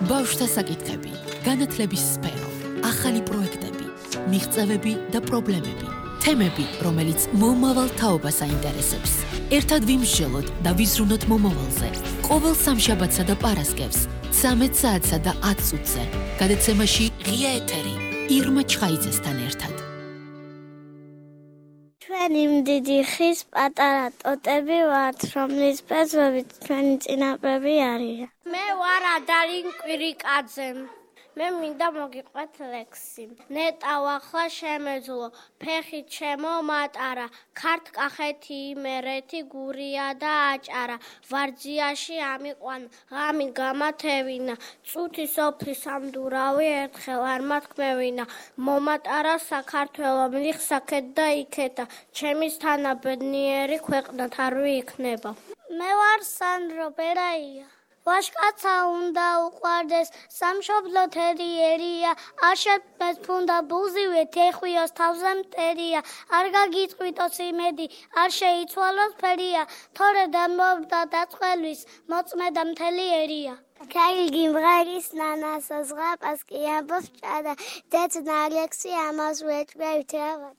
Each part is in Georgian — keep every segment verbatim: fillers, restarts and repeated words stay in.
ბავშვთა საკითხები, განათლების სფერო, ახალი პროექტები, მიღწევები და პრობლემები, თემები, რომელიც მომავალ თაობას აინტერესებს. ერთად ვიმსჯელოთ და ვიზრუნოთ მომავალზე. ყოველ სამშაბათსა და პარასკევს, ცამეტ საათსა და ათ წუთზე. გადაცემაში ღია ეთერი, ირმა ჩხაიძესთან ერთად. ჩვენი მდიდი ხის პატარა ტოტები ვართ, რომლის ბეწვებით ჩვენი წინაპრები არიან. მე ვარ ადალინ კვირიკაძე. მე მინდა მოგიყვეთ ლექსი. ნეტა ვახლა შემეძლო, ფეხი ჩემო მატარა, ქართ კახეთი იმერეთი გურია და აჭარა. ვარძიაში ამიყვან, ღამი გამათევინა, წუთი სოფლის ამდურავი ერთხელ არ მათქმევინა. მომატარა საქართველო მლიხსაკეთ და იქეთა, ჩემის თანა ბედნიერი ქვეყნად არ ვიიქნება. მე ვარ სანდრო ბერაია. ვაშკაცა უნდა უყვარდეს, სამშობლო თერიერია, არ შეფმეს ფუნდა ბუზივე, თეხვიოს თავზე მტერია, არ გაგიწყვიტოს იმედი, არ შეიცვალოს ფერია, თორე დამბობდა დაწყველის, მოწმედა მთელი ერია. Kailgi mgharis nanasa zghapас ki ambos chada, det naleksi amaz wetwetava.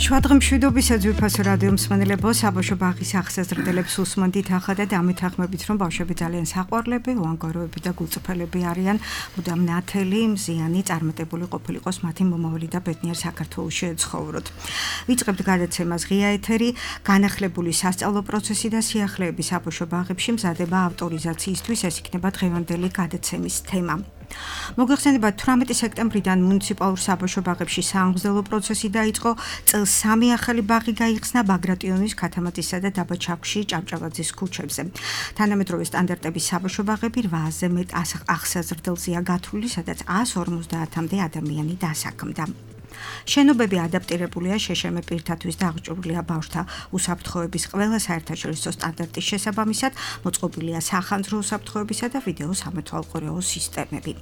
შვადღი მშვიდობისა ძვირფასო რადიო მსმენელებო, საბავშვო ბაღის ახსაზრდელებს უსმენთ ახლა და დამეთანხმებით, რომ ბავშვები ძალიან საყვარლები, უანგაროები და გულწრფელები არიან, მუდამ ნათელი, მზიანი, წარმატებული ყოფილიყოს მათი მომავალი და ბედნიერ საქართველოში ეცხოვროთ. ვიწყებთ გადაცემას ღია ეთერი, განახლებული სასწავლო პროცესი და სიახლეები საბავშვო ბაღებში მზადება ავტორიზაციისთვის, ეს იქნება დღევანდელი გადაცემის თემა. მოგეხსენებათ, თვრამეტი სექტემბრიდან მუნიციპალურ საბავშვო ბაღებში საამგზელო პროცესი დაიწყო, წელს სამი ახალი ბაღი გაიხსნა ბაგრატიონის, ქათამატისა და დაბა ჩაქვში, ჭავჭავაძის ქუჩებზე. თანამედროვე სტანდარტების საბავშვო ბაღები რვააზე მეტ ახსაზრდელზეა გათვლილი, სადაც ას ორმოცდაათამდე ადამიანი დასაქმდა. შენობები ადაპტირებულია შეშმ პირთათვის და აღჭურვილია ბავშვთა უსაფრთხოების ყველა საერთაშორისო სტანდარტის შესაბამისად, მოწყობილია სახანძრო უსაფრთხოებისა და ვიდეო სამეთვალყურეო სისტემები.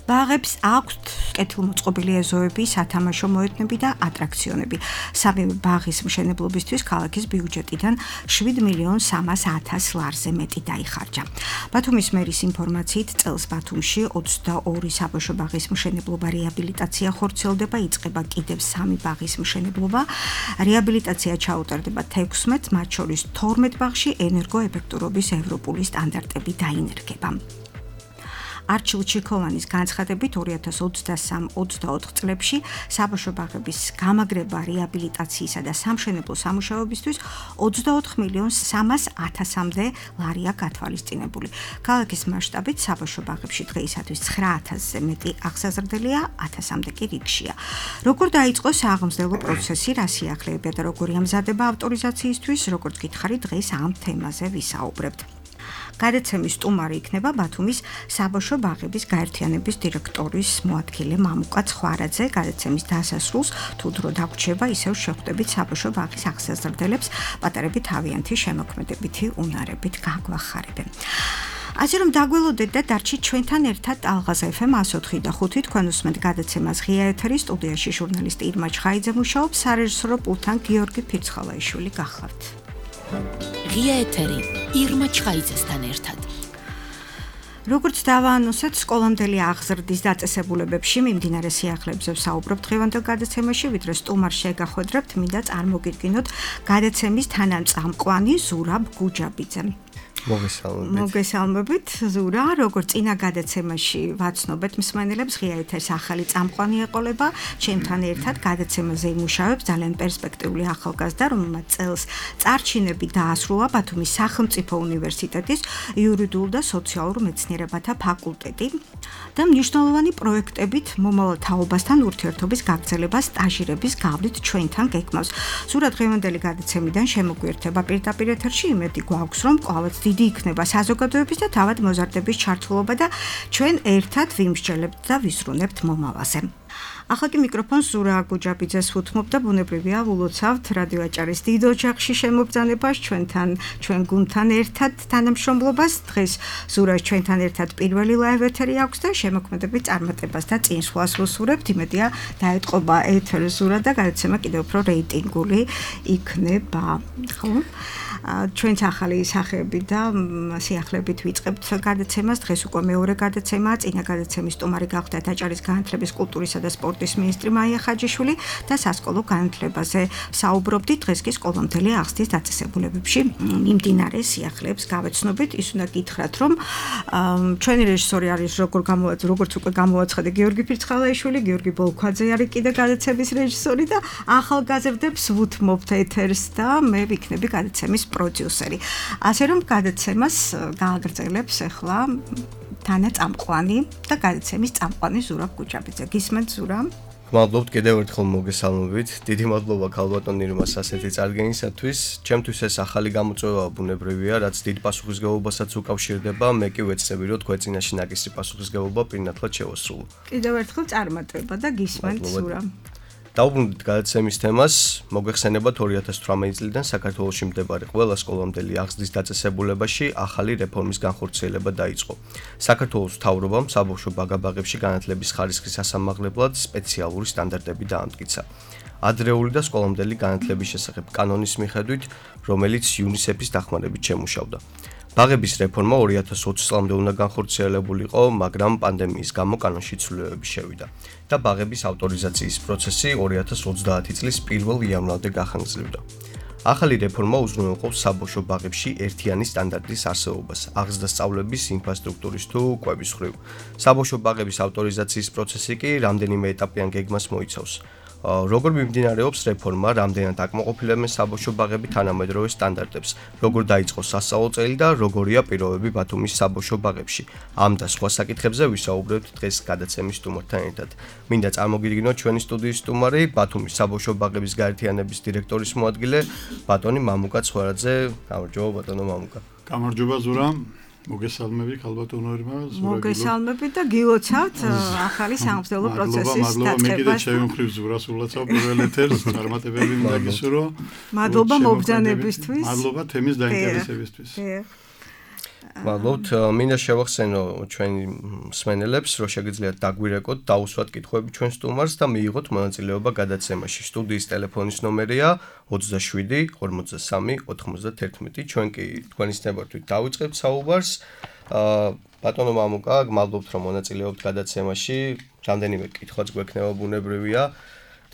ბაღებს აქვთ კეთილმოწყობილი ეზოები, სათამაშო მოედნები და ატრაქციონები. სამივე ბაღის მშენებლობისთვის ქალაქის ბიუჯეტიდან შვიდ მილიონ სამას ათას ლარზე მეტი დაიხარჯა. ბათუმის მერის ინფორმაციით, წელს ბათუმში ოცდაორი საბავშვო ბაღის მშენებლობა რეაბილიტაცია ხორციელდება, იწყება კიდევ სამი ბაღის მშენებლობა. რეაბილიტაცია ჩაუტარდება თექვსმეტ, მათ შორის თორმეტ ბაღში ენერგოეფექტურობის ევროპული სტანდარტები დაინერგება. არჩილ ჩიქოვანის განცხადებით, ორი ათას ოცდასამ ოცდაოთხ წლებში საბავშვო ბაღების გამაგრება რეაბილიტაციისა და სამშენებლო სამუშაოებისთვის ოცდაოთხ მილიონ სამას ათასამდე ლარია გათვალისწინებული. ქალაქის მასშტაბით საბავშვო ბაღებში დღეისათვის ცხრა ათასზე მეტი ახსაზრდელია, ათასამდე კი რიგშია. როგორ დაიწყო სააღმზელო პროცესი, რა სიახლეებია და როგორი ამზადება ავტორიზაციისთვის, როგორც გითხარით, დღეს ამ თემაზე ვისაუბრებთ. გადაცემის სტუმარი იქნება ბათუმის საბავშვო ბაღების გაერთიანების დირექტორის მოადგილე მამუკა ცხვარაძე. გადაცემის დასასრულს თუ დრო დაგვრჩება, ისევ შეხვდებით საბავშვო ბაღის ახსაზრდელებს, პატარები თავიანთი შემოქმედებითი უნარებით გაგვახარებენ. ასე რომ დაგველოდეთ და დარჩით ჩვენთან ერთად ალღაზ ეფ ემ ას ოთხი და ხუთი, თქვენ უსმენთ გადაცემას ღია ეთერი, სტუდიაში ჟურნალისტი ირმა ჩხაიძე მუშაობს, სარეჟისორო პულტთან გიორგი ფირცხალაიშვილი გახლავთ. ღია ეთერი, ირმა ჩხაიძესთან ერთად. როგორც დავაანონსეთ, სკოლამდელი აღზრდის დაწესებულებებში მიმდინარე სიახლეებზე ვსაუბრობთ დღევანდელ გადაცემაში, ვიდრე სტუმარს შეგახვედრებთ, მინდა წარმოგიდგინოთ გადაცემის თანამწამყვანი ზურაბ გუჯაბიძე. მოგესალმებით. მოგესალმებით, ზურა, როგორც წინა გადაცემაში ვაცნობეთ მსმენელებს, ღია ეთერს ახალი წამყვანი ეყოლება, ჩემთან ერთად გადაცემაზე იმუშავებს ძალიან პერსპექტიული ახალგაზრდა, რომელმაც წელს წარჩინები დაასრულა ბათუმის სახელმწიფო უნივერსიტეტის იურიდიულ და სოციალურ მეცნიერებათა ფაკულტეტი და მნიშვნელოვანი პროექტებით მომავალ თაობასთან ურთიერთობის გაგრძელება სტაჟირების გავლით ჩვენთან გეკმავს. ზურა, დღევანდელი გადაცემიდან შემოგვიერთება პირდაპირ ეთერში, იმედი გვაქვს, რომ ყოველთვის დიდი იქნება საზოგადოების და თავად მოზარდების ჩართულობა და ჩვენ ერთად ვიმსჯელებთ და ვისრუნებთ მომავალზე. ახლა კი მიკროფონს ზურა გუჯაბიძეს ვუთმობ და ბუნებრივია ულოცავთ რადიო აჭარის დიდ ოჯახში შემოგზავნებას ჩვენთან ჩვენ გუნდთან ერთად თანამშრომლობას დღეს ზურას ჩვენთან ერთად პირველი ლაივ ეთერი აქვს და შემოქმედებით წარმატებას და წინსვლას ვუსურებთ იმედია დაეთყობა ეთერ ზურა და გადაცემა კიდევ უფრო რეიტინგული იქნება ხო ჩვენს ახალი სახეები და სიახლეებით ვიწყებთ გადაცემას დღეს უკვე მეორე გადაცემაა წინა გადაცემის სტუმარი გახდათ აჭარის განათლების კულტურისა და სპორტის მინისტრი მაია ხაჯიშვილი და სასკოლო განათლებაზე საუბრობდით დღეს კი სკოლამდელი აღზრდის დაწესებულებებში მიმდინარე სიახლეებს გავეცნობით ის უნდა გითხრათ რომ ჩვენი რეჟისორი არის როგორ გამოაცხადა როგორც უკვე გამოაცხადა გიორგი ფირცხალაიშვილი გიორგი ბოლქვაძე არის კიდე გადაცემის რეჟისორი და ახალგაზრდებს ვუთმობთ ეთერს და მე ვიქნები გადაცემის პროდიუსერი. ასე რომ გადაცემას გააგრძელებს ახლა თანა წამყვანი და გადაცემის წამყვანი ზურაბ გუჯაბიძე. გისმენთ ზურა? მადლობთ კიდევ ერთხელ მოგესალმებით. დიდი მადლობა ქალბატონ ირმას ასეთი წარდგენისათვის. ჩემთვის ეს ახალი გამოწვევა ბუნებრივია, რაც დიდ პასუხისმგებლობასაც უკავშირდება. მე კი ვეცდები, რომ თქვენ წინაშე ნაკისი პასუხისმგებლობა პირნათლად შევასრულო. კიდევ ერთხელ წარმატება და გისმენთ ზურა. დაუბრუნდით გადაცემის თემას, მოგეხსენებათ ორი ათას თვრამეტი წლიდან საქართველოში მდებარე ყველა სკოლამდელი აღზრდის დაწესებულებაში ახალი რეფორმის განხორციელება დაიწყო. საქართველოს მთავრობამ საბავშვო ბაგაბაღებში განათლების ხარისხის ასამაღლებლად სპეციალური სტანდარტები დაამტკიცა. ადრეული და სკოლამდელი განათლების შესახებ კანონის მიხედვით, რომელიც იუნისეფის დახმარებით შემუშავდა. ბაღების რეფორმა ორი ათას ოცი წლამდე უნდა განხორციელებულიყო, მაგრამ პანდემიის გამო კანონში ცვლილებები შევიდა და ბაღების ავტორიზაციის პროცესი ორი ათას ოცდაათი წლის პირველ იანვრამდე გახანგრძლივდა. ახალი რეფორმა უზრუნველყოფს საბავშვო ბაღებში ერთიანი სტანდარტის არსებობას, აღზრდა-სწავლების ინფრასტრუქტურის თუ კვების მხრივ. საბავშვო ბაღების ავტორიზაციის პროცესი კი რამდენიმე ეტაპიან გეგმას მოიცავს. როგორ მიმდინარეობს რეფორმა, რამდენად აკმაყოფილებენ საბავშვო ბაღები თანამედროვე სტანდარტებს, როგორ დაიწყო სასწავლო წელი და როგორია პირობები ბათუმის საბავშვო ბაღებში. ამ და სხვა საკითხებზე ვისაუბრებთ დღეს გადაცემის სტუმართან ერთად. მინდა წარმოგიდგინოთ ჩვენი სტუდიის სტუმარი, ბათუმის საბავშვო ბაღების გაერთიანების დირექტორის მოადგილე, ბატონი მამუკა ცხვარაძე. გამარჯობა ბატონო მამუკა. გამარჯობა ზურა. მოგესალმები ქალბატონო ირმა ზურა მოგესალმებით და გილოცავთ ახალი სამღვდელო პროცესის დაწყებას. მე კიდე შევიმხრივ ზურას ულოცავ პირველ ეთერს წარმატებები მინდა გისურვო. მადლობა მობრძანებისთვის. მადლობა თემის დაინტერესებისთვის. მადლობთ. მინდა შევახსენო ჩვენი მსმენელებს, რომ შეგიძლიათ დაგვირეკოთ, დაუსვათ კითხვები ჩვენ სტუმარს და მიიღოთ მონაწილეობა გადაცემაში. სტუდიის ტელეფონის ნომერია ოცდაშვიდი ორმოცდასამი ოთხმოცდათერთმეტი. ჩვენ კი თქვენის ნებართვით დავიწყებთ საუბარს. ბატონო მამუკა, გმადლობთ რომ მონაწილეობთ გადაცემაში. რამდენიმე კითხვაც გვექნება ბუნებრივია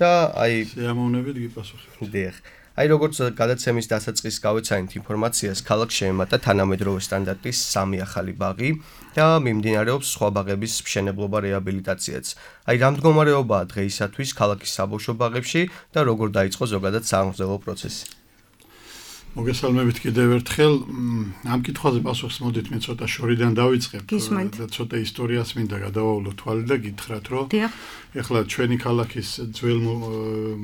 და აი შეამოვნებით გიპასუხებთ. დიახ. აი როგორც გადაცემის დასაწყისს გავეცანით ინფორმაციას, ქალაქს შეემატა თანამედროვე სტანდარტის სამი ახალი ბაღი და მიმდინარეობს სხვა ბაღების მშენებლობა რეაბილიტაციაც. აი რა მდგომარეობაა დღეისათვის ქალაქის საბავშვო ბაღებში და როგორ დაიწყო ზოგადად სამღვდელო პროცესი? მოგესალმებით კიდევ ერთხელ. ამ კითხვაზე პასუხს მოდით მე ცოტა შორიდან დავიწყებ და ცოტა ისტორიას მინდა გადავავლო თვალი და გითხრათ, რომ ეხლა ჩვენი ქალაქის ძველ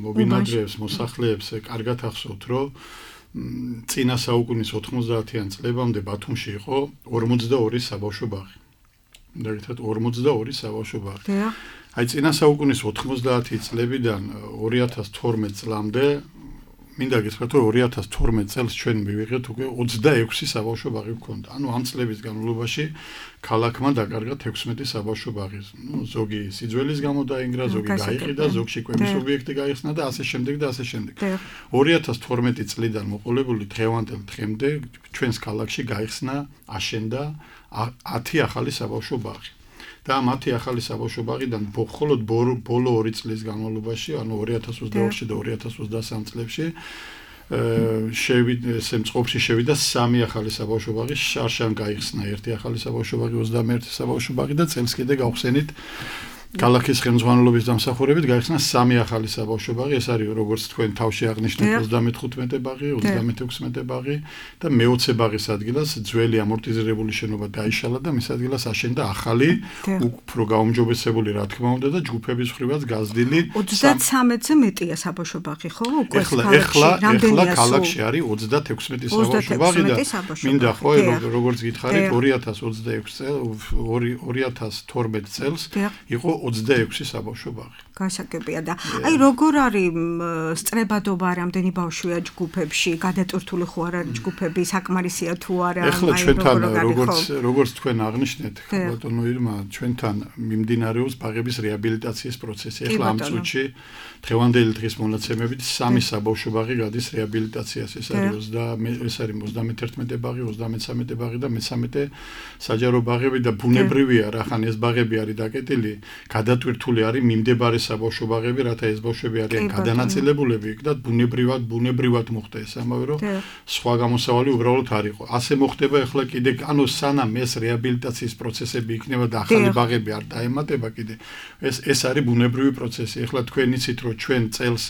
მობინადრეებს, მოსახლეებს კარგად ახსოვთ, რომ წინა საუკუნის ოთხმოცდაათიან წლებამდე ბათუმში იყო ორმოცდაორი საბავშვო ბაღი. მინდა გითხრათ ორმოცდაორი საბავშვო ბაღი. აი წინა საუკუნის ოთხმოცდაათი წლებიდან ორი ათას თორმეტ წლამდე მინდა გითხრათ, რომ ორი ათას თორმეტ წელს ჩვენ მივიღეთ უკვე ოცდაექვსი საბავშვო ბაღი გვქონდა. ანუ ამ წლების განმავლობაში ქალაქმა დაკარგა თექვსმეტი საბავშვო ბაღი. ნუ ზოგი სიძველის გამო დაინგრა, ზოგი გაიყიდა, ზოგში კვების ობიექტი გაიხსნა და ასე შემდეგ და ასე შემდეგ. ორი ათას თორმეტი წლიდან მოყოლებული დღევანდელ დღემდე ჩვენს ქალაქში გაიხსნა, აშენდა ათი ახალი საბავშვო ბაღი. და მათი ახალი საბავშვო ბაღიდან მხოლოდ ბოლო ორი წლის განმავლობაში, ანუ ორი ათას ოცდაოთხში და ორი ათას ოცდასამი წლებში შევიდა სემწყობში შევიდა სამი ახალი საბავშვო ბაღი, შარშან გაიხსნა ერთი ახალი საბავშვო ბაღი, ოცდამეერთი საბავშვო ბაღი და წელს კიდე გავხსენით ქალაქის ხელმძღვანელობის დამსახურებით გაიხსნა სამი ახალი საბავშვო ბაღი. ეს არის როგორც თქვენ თავში აღნიშნეთ ოცდამეთერთმეტე ბაღი, ოცდამეთექვსმეტე ბაღი და მეოცე ბაღის ადგილას ძველი ამორტიზირებული შენობა დაიშალა და მის ადგილას აშენდა ახალი, უფრო გაუმჯობესებული რა თქმა უნდა და ჯგუფების მხრივაც გაზრდილი ოცდათრამეტზე მეტია საბავშვო ბაღი, ხო? უკვე ეხლა ეხლა ეხლა ქალაქში არის ოცდათექვსმეტი საბავშვო ბაღი და მინდა ხო როგორც გითხარით ორი ათას ოცდაექვსი წელს ორი ათას თორმეტ წელს იყო ოცდაექვსი საბავშვო ბაღი. გასაგებია და აი როგორ არის სწრებადობა რამდენი ბავშვია ჯგუფებში, გადატვირთული ხო არ არის ჯგუფები, საკმარისია თუ არა? ეხლა ჩვენთან როგორც როგორც თქვენ აღნიშნეთ, ბატონო ირმა, ჩვენთან მიმდინარეობს ბაღების რეაბილიტაციის პროცესი. ეხლა ამ წუთში დღევანდელი დღის მონაცემებით სამი საბავშვო ბაღი გადის რეაბილიტაციას. ეს არის ეს არის ოცდამეთერთმეტე ბაღი, ოცდამესამე ბაღი და მესამე საჯარო ბაღები და ბუნებრივია, რახან ეს ბაღები არის დაკეტილი, გადატვირთული არის მიმდებარე საბავშვო ბაღები, რათა ეს ბავშვები არიან გადანაწილებულები იქ და ბუნებრივად ბუნებრივად მოხდა ეს ამავე რომ სხვა გამოსავალი უბრალოდ არ იყო. ასე მოხდება ახლა კიდე, ანუ სანამ ეს რეაბილიტაციის პროცესები იქნება და ახალი ბაღები არ დაემატება კიდე, ეს ეს არის ბუნებრივი პროცესი. ახლა თქვენ იცით რომ ჩვენ წელს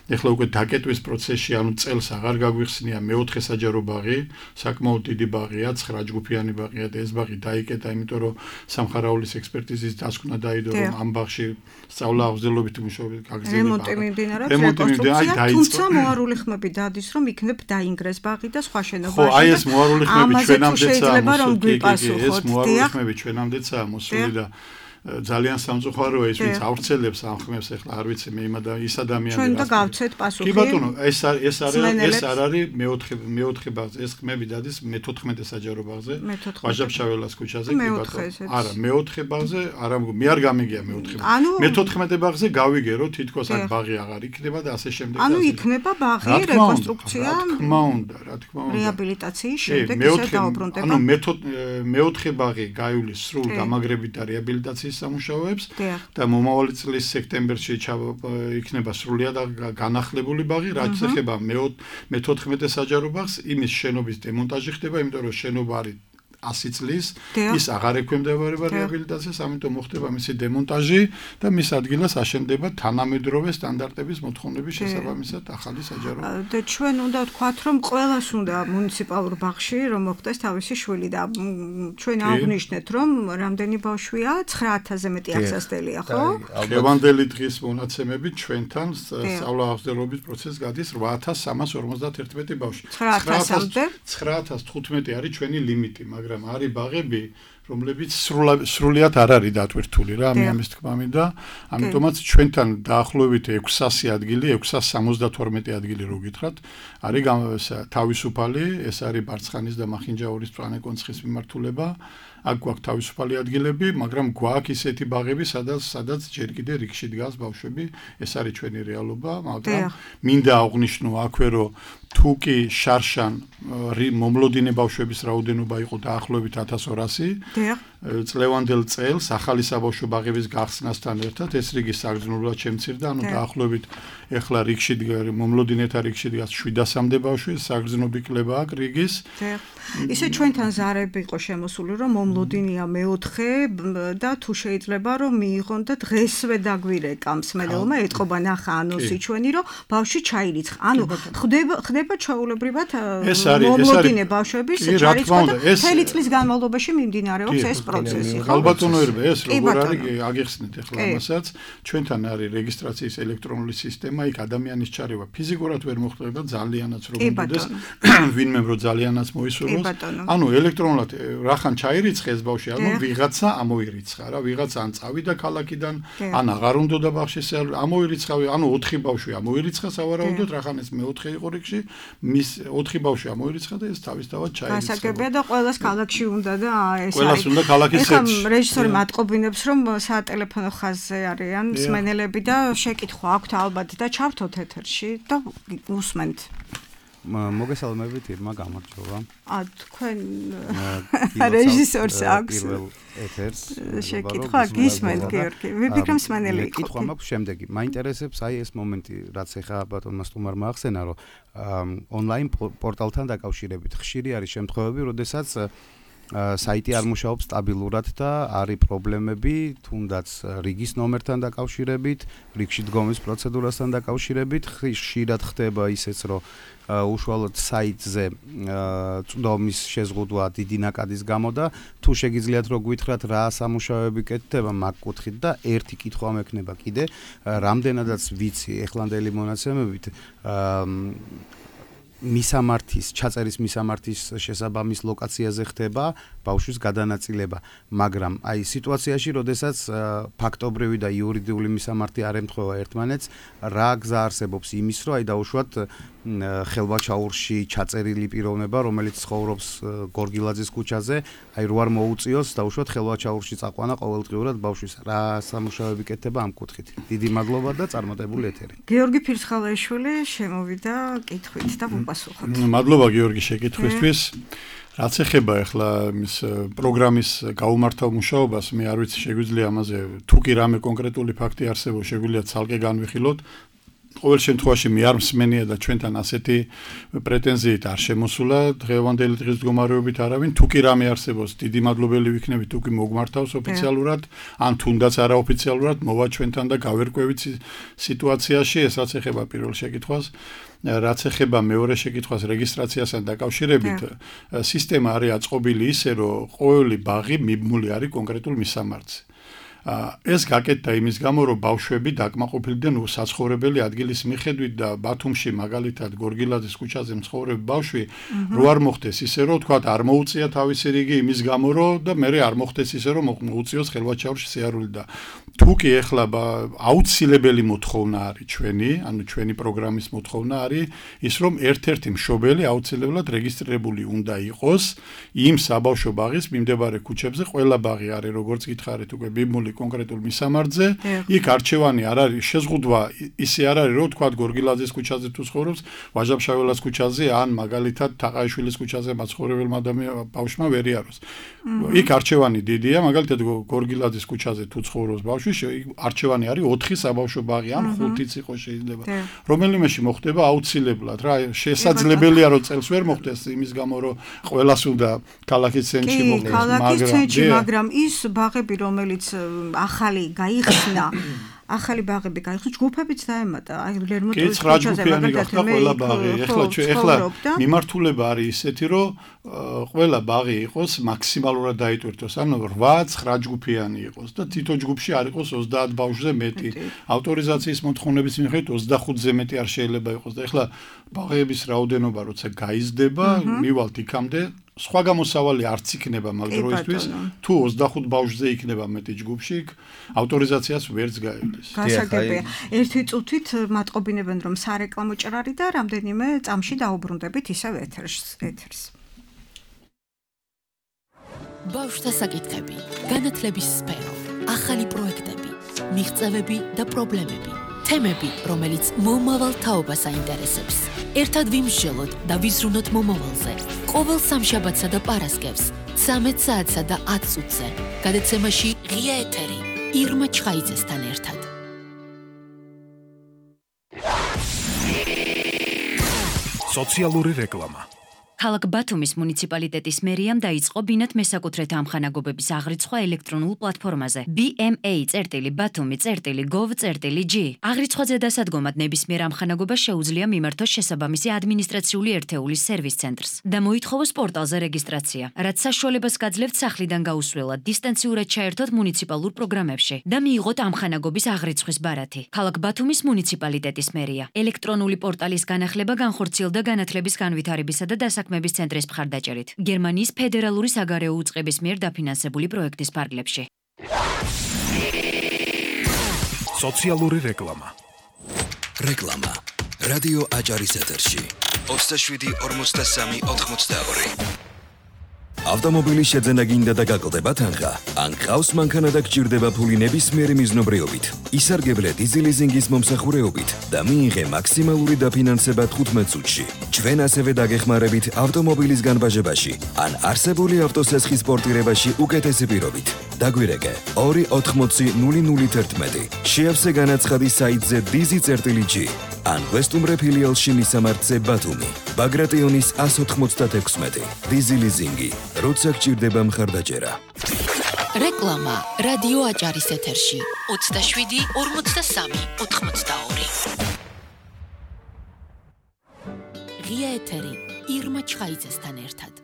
ეხლა უკვე დაკეტვის პროცესში, ანუ წელს აღარ გაგვიხსნია მეოთხე საჯარო ბაღი, საკმაოდ დიდი ბაღია, ცხრა ჯგუფიანი ბაღია და ეს ბაღი დაიკეტა, იმიტომ რომ სამხარაულის ექსპერტიზის დასკვნა დაიდო, რომ ამ ბაღში სწავლა აღზრდელობითი მუშაობები გაგრძელება. რემონტი მიმდინარეობს, რეკონსტრუქცია, თუმცა მოარული ხმები დადის, რომ იქნებ დაინგრეს ბაღი და სხვა შენობაში. ხო, აი ეს მოარული ხმები ჩვენამდეცაა მოსული. ეს მოარული ხმები ჩვენამდეცაა მოსული და ძალიან სამწუხაროა ის ვინც ავრცელებს ამ ხმებს, ახლა არ ვიცი მე იმ ის ადამიანები ჩვენ და გავცეთ პასუხი. კი ბატონო, ეს ეს არის ეს არ არის მეოთხე მეოთხე ბაღზე, ეს ხმები დადის მეთოთხმეტე საჯარო ბაღზე, ვაჟა-ფშაველას ქუჩაზე, კი ბატონო. არა, მეოთხე ბაღზე, არა, მე არ გამიგია მეოთხე. მეთოთხმეტე ბაღზე გავიგე რომ თითქოს აქ ბაღი აღარ იქნება და ასე შემდეგ. ანუ იქნება ბაღი, რეკონსტრუქცია, რა თქმა უნდა, რა თქმა უნდა. რეაბილიტაციის შემდეგ ისე დაუბრუნდება. ანუ მეოთხე ბაღი გაივლის სრულ დამაგრებით და რეაბილიტაციის სამუშაოებს და მომავალი წლის სექტემბერში იქნება სრულიად განახლებული ბაღი, რაც ეხება მეთოთხმეტე საჯარო ბაღს, იმის შენობის დემონტაჟი ხდება, იმიტომ რომ შენობა არის ასი წლის, ის აღარ ექვემდებარება რეაბილიტაციას, ამიტომ მოხდება მისი დემონტაჟი და მის ადგილას აშენდება თანამედროვე სტანდარტების მოთხოვნების შესაბამისად ახალი საჯარო ბაღი. და ჩვენ უნდა ვთქვათ, რომ ყველას უნდა მუნიციპალურ ბაღში რომ მოხდეს თავისი შვილი და ჩვენ აღნიშნეთ, რომ რამდენი ბავშვია, ცხრა ათასზე მეტი აღსასწელია, ხო? დღევანდელი დღის მონაცემებით ჩვენთან სწავლა აღზრდელობის პროცესს გადის რვა ათას სამას ორმოცდაერთმეტი ბავშვი. ცხრა ათასამდე ცხრა ათას თხუთმეტი არის ჩვენი ლიმიტი, მაგრამ არის ბაღები, რომლებიც სრულიად არ არის დატვირთული რა, მე ამის თქმა მინდა, ამიტომაც ჩვენთან დაახლოებით ექვსასი ადგილი, ექვსას სამოცდათორმეტი ადგილი რო გითხრათ, არის თავისუფალი, ეს არის ბარცხანის და მახინჯაურის მწვანე კონცხის მიმართულება. აქ გვაქვს თავისუფალი ადგილები, მაგრამ გვაქვს ისეთი ბაღები, სადაც სადაც ჯერ კიდე რიგში დგას ბავშვები, ეს არის ჩვენი რეალობა, მაგრამ მინდა აღვნიშნო აქვე, რომ თუ კი შარშან მომლოდინე ბავშვების რაოდენობა იყო დაახლოებით ათას ორასი, წლევანდელ წელს ახალი საბავშვო ბაღების გახსნასთან ერთად ეს რიგი საგრძნობლად შემცირდა, ანუ დაახლოებით ეხლა რიგში მომლოდინეთა რიგში დგას შვიდასამდე ბავშვი, საგრძნობი კლება აქვს რიგის. ისე ჩვენთან ზარები იყო შემოსული, რომ მომლოდინია მეოთხე და თუ შეიძლება რომ მიიღონ და დღესვე დაგვირეკა მსმენელმა, ეთყობა ნახა ანონსი ჩვენი, რომ ბავშვი ჩაირიცხა. ანუ ხდება ხდება ჩაულებრივად მომლოდინე ბავშვების ჩარიცხვა და მთელი წლის განმავლობაში მიმდინარეობს ეს პროცესი. ალბათონოერბე ეს როგორ არის აგიხსნით ახლა ამასაც, ჩვენთან არის რეგისტრაციის ელექტრონული სისტემა, იქ ადამიანის ჩარევა ფიზიკურად ვერ მოხდება ძალიანაც რომ მოხდეს, ვინმე რომ ძალიანაც მოისურვოს. ანუ ელექტრონულად რახან ჩაირიცხე ეს ბავშვი, ანუ ვიღაცა ამოირიცხა რა, ვიღაცა ან წავიდა ქალაქიდან, ან აღარ უნდოდა ბავშვის ამოირიცხა, ანუ ოთხი ბავშვი ამოირიცხა სავარაუდოდ, რახან ეს მეოთხე იყო რიგში, მის ოთხი ბავშვი ამოირიცხა და ეს თავისთავად ჩაირიცხა. გასაგებია და ყველას ქალაქში უნდა და ეს არის. ყველას უნდა ქალაქის ცენტრში. ეხლა რეჟისორი მატყობინებს, რომ სატელეფონო ხაზზე არიან მსმენელები და შეკითხვა აქვთ ალბათ და ჩავთოთ ეთერში და უსმენთ. მოგესალმებით, ირმა, გამარჯობა. ა თქვენ რეჟისორს აქვს ეთერს შეკითხვა გისმენთ, გიორგი. ვიფიქრე მსმენელი იყო. კითხვა მაქვს შემდეგი. მაინტერესებს აი ეს მომენტი, რაც ეხა ბატონმა სტუმარმა ახსენა, რომ ონლაინ პორტალთან დაკავშირებით ხშირი არის შემთხვევები, როდესაც საიტი არ მუშაობს სტაბილურად და არის პრობლემები, თუნდაც რიგის ნომერთან დაკავშირებით, რიგში დგომის პროცედურასთან დაკავშირებით, ხშირად ხდება ისეც, რომ უშუალოდ საიტზე წვდომის შეზღუდვა დიდი ნაკადის გამო და თუ შეგიძლიათ რომ გვითხრათ რა სამუშაოები კეთდება მაგ კუთხით და ერთი კითხვა მექნება კიდე, რამდენადაც ვიცი ეხლანდელი მონაცემებით მისამართის, ჩაწერის მისამართის შესაბამის ლოკაციაზე ხდება ბავშვის გადანაწილება, მაგრამ აი სიტუაციაში, როდესაც ფაქტობრივი და იურიდიული მისამართი არ ემთხვევა ერთმანეთს, რა გზა არსებობს იმის, რომ აი დაუშვათ ხელვაჩაურში ჩაწერილი პიროვნება, რომელიც ცხოვრობს გორგილაძის ქუჩაზე, აი რო არ მოუწიოს დაუშვათ ხელვაჩაურში წაყვანა ყოველდღიურად ბავშვის. რა სამუშაოები კეთდება ამ კუთხით? დიდი მადლობა და წარმატებული ეთერი. გიორგი ფირცხალაიშვილი შემოვიდა კითხვით და უპასუხოთ. მადლობა გიორგი შეკითხვისთვის. რაც ეხება ახლა მის პროგრამის გაუმართავ მუშაობას, მე არ ვიცი შეგვიძლია ამაზე თუ კი რამე კონკრეტული ფაქტი არსებობს, შეგვიძლია ცალკე განვიხილოთ. ყოველ შემთხვევაში მე არ მსმენია და ჩვენთან ასეთი პრეტენზიით არ შემოსულა დღევანდელი დღის მდგომარეობით არავინ. თუ კი რამე არსებობს, დიდი მადლობელი ვიქნები, თუ კი მოგმართავს ოფიციალურად, ან თუნდაც არაოფიციალურად მოვა ჩვენთან და გავერკვევით სიტუაციაში, ესაც ეხება პირველ შეკითხვას. რაც ეხება მეორე შეკითხვას რეგისტრაციასთან დაკავშირებით, სისტემა არის აწყობილი ისე, რომ ყოველი ბაღი მიბმული არის კონკრეტულ მისამართზე. ეს გაკეთდა იმის გამო, რომ ბავშვები დაკმაყოფილდნენ საცხოვრებელი ადგილის მიხედვით და ბათუმში მაგალითად გორგილაძის ქუჩაზე მცხოვრები ბავშვი რო არ მოხდეს ისე, რომ თქვა არ მოუწია თავისი რიგი იმის გამო, რომ და მე არ მოხდეს ისე, რომ მოუწიოს ხელვაჩაურში სიარული და თუ კი ეხლა აუცილებელი მოთხოვნა არის ჩვენი, ანუ ჩვენი პროგრამის მოთხოვნა არის ის, რომ ერთ-ერთი მშობელი აუცილებლად რეგისტრირებული უნდა იყოს იმ საბავშვო ბაღის მიმდებარე ქუჩებზე. ყველა ბაღი არის, როგორც გითხარით, უკვე ბიბმული კონკრეტულ მისამართზე, იქ არჩევანი არ არის, შეზღუდვა ისე არ არის, რომ თქვა გორგილაძის ქუჩაზე თუ ცხოვრობს, ვაჟა-ფშაველას ქუჩაზე ან მაგალითად თაყაიშვილის ქუჩაზე მაცხოვრებელმა ბავშვმა ვერ იაროს. იქ არჩევანი დიდია, მაგალითად გორგილაძის ქუჩაზე თუ ცხოვრობს ბავშვი, არჩევანი არის ოთხი საბავშვო ბაღი ან ხუთიც იყოს შეიძლება. რომელიმეში მოხდება აუცილებლად, რა შესაძლებელია რომ წელს ვერ მოხდეს იმის გამო, რომ ყველას უნდა ქალაქის ცენტრში მოხდეს, მაგრამ მაგრამ ის ბაღები, რომელიც ახალი გაიხსნა, ახალი ბაღები გაიხსნა, ჯგუფებიც დაემატა. აი ლერმონტოვის ქუჩაზე მაგალითად ყველა ბაღი. ეხლა ეხლა მიმართულება არის ისეთი, რომ ყველა ბაღი იყოს მაქსიმალურად დაიტვირთოს, ანუ რვა ცხრა ჯგუფიანი იყოს და თითო ჯგუფში არ იყოს ოცდაათ ბავშვზე მეტი. ავტორიზაციის მოთხოვნების მიხედვით ოცდახუთზე მეტი არ შეიძლება იყოს და ეხლა ბაღების რაოდენობა როცა გაიზრდება, მივალთ იქამდე სხვა გამოსავალი არც იქნება მაგ დროისთვის, თუ ოცდახუთ ბავშვზე იქნება მეტი ჯგუფში, ავტორიზაციას ვერც გაივლის. გასაგებია. ერთი წუთით მატყობინებენ, რომ სარეკლამო ჭრარი და რამდენიმე წამში დაუბრუნდებით ისევ ეთერს. ბავშვთა საკითხები, განათლების სფერო, ახალი პროექტები, მიღწევები და პრობლემები, თემები, რომელიც მომავალ თაობას აინტერესებს. ერთად ვიმსჯელოთ და ვიზრუნოთ მომავალზე. ყოველ სამშაბათსა და პარასკევს, ცამეტ საათსა და ათ წუთზე. გადაცემაში ღია ეთერი, ირმა ჩხაიძესთან ერთად. სოციალური რეკლამა. ქალაქ ბათუმის მუნიციპალიტეტის მერიამ დაიწყო ბინათ მესაკუთრეთა ამხანაგობების აღრიცხვა ელექტრონულ პლატფორმაზე B M A Batumi gov G. აღრიცხვაზე დასადგომად ნებისმიერ ამხანაგობას შეუძლია მიმართოს შესაბამისი ადმინისტრაციული ერთეულის სერვის ცენტრს და მოითხოვოს პორტალზე რეგისტრაცია, რაც საშუალებას გაძლევთ სახლიდან გაუსვლელად დისტანციურად ჩაერთოთ მუნიციპალურ პროგრამებში და მიიღოთ ამხანაგობის აღრიცხვის ბარათი. ქალაქ ბათუმის მუნიციპალიტეტის მერია ელექტრონული პორტალის განახლება განხორციელდა განათლების განვითარებისა და დასაქმების ცენტრის მხარდაჭერით გერმანიის ფედერალური საგარეო უწყების მიერ დაფინანსებული პროექტის ფარგლებში. სოციალური რეკლამა. რეკლამა. რადიო აჭარის ეთერში. ოცდაშვიდი ორმოცდასამი ოთხმოცდაორი. ავტომობილის შეძენა გინდა და გაკლდება თანხა? ან ყავს მანქანა და გჭირდება ფული ნებისმიერი მიზნობრიობით, ისარგებლე დიზი ლიზინგის მომსახურეობით და მიიღე მაქსიმალური დაფინანსება თხუთმეტ წუთში. ჩვენ ასევე დაგეხმარებით ავტომობილის განბაჟებაში ან არსებული ავტოსესხის პორტირებაში უკეთესი პირობით. დაგვირეკე ორი ოთხმოცი ნული ნული თერთმეტი. შეავსე განაცხადი საიტზე დიზი G ან გვესტუმრე ფილიალში მისამართზე ბათუმი. ბაგრატიონის ას ოთხმოცდაექვსმეტი. დიზი ლიზინგი. როცა გჭირდება მხარდაჭერა. რეკლამა რადიო აჭარის ეთერში ოცდაშვიდი ორმოცდასამი ოთხმოცდაორი. ღია ეთერი ირმა ჩხაიძესთან ერთად.